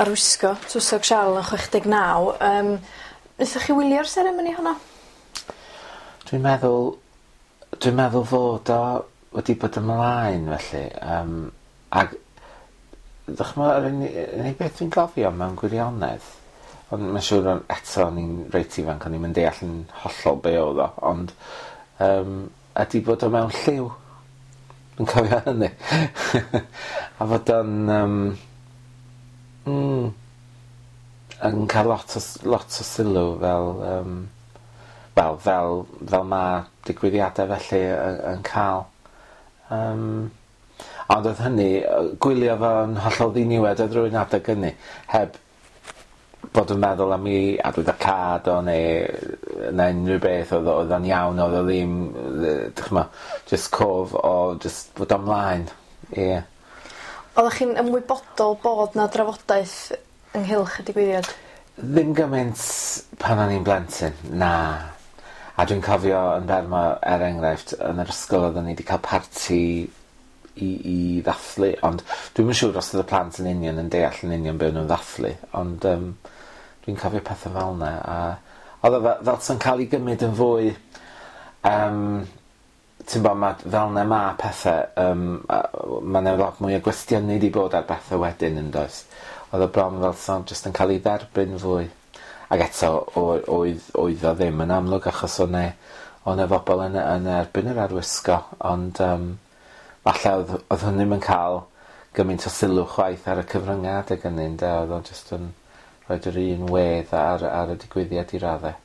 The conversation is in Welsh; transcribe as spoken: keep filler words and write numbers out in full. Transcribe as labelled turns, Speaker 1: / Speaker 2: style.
Speaker 1: arwisgo Tywysog Siarl yn chwech deg naw. Um, wnaethoch chi wylio'r seremoni honno?
Speaker 2: Dwi'n meddwl, dwi'n meddwl fod o wedi bod ymlaen felly. Um, ag dychmyg, yr unig beth dwi'n gofio mewn gwirionedd, ond mae'n siŵr eto o'n i'n reit ifanc, o'n i'n deall yn hollol be oedd o, ond um, ydy bod o mewn lliw. Dwi'n cofio hynny. A fod o'n um, mm, yn cael lot o, lot o sylw fel, um, wel, fel, fel mae digwyddiadau felly yn, yn cael. Um, ond oedd hynny, gwylio fo'n hollol ddiniwed oedd rhywun adeg hynny, heb bod yn meddwl am i arwyddocâd o neu, neu unrhyw beth, oedd oedd o'n iawn, oedd o ddim, dychmyg, just cof o just bod ymlaen, ie. Yeah.
Speaker 1: Oeddech chi'n ymwybodol bod na drafodaeth ynghylch y digwyddiad?
Speaker 2: Ddim gymaint pan o'n i'n blentyn, na. A dwi'n cofio yn Bermo, er enghraifft, yn yr ysgol oedden ni wedi cael parti i, i ddathlu, ond dwi'm yn siŵr os oedd y plant yn union yn deall yn union be o'n nhw'n ddathlu, ond um, dwi'n cofio pethau fel yna, a oedd o fel, fel sy'n cael ei gymryd yn fwy, um, ti'n bod, ma, fel yna ma pethau, um, mae yna lot mwy o gwestiynu di bod ar bethau wedyn yn does. Oedd o bron fel sy'n just yn cael ei dderbyn fwy. Ac eto, oedd, oedd o ddim yn amlwg achos o'n e bobl yn, yn erbyn yr arwisgo, ond um, falle oedd, oedd hynny'm yn cael gymaint o sylw chwaith ar y cyfryngau adeg hynny, ynde? Oedd o'n just yn rhoid yr un wedd ar, ar y digwyddiad i raddau.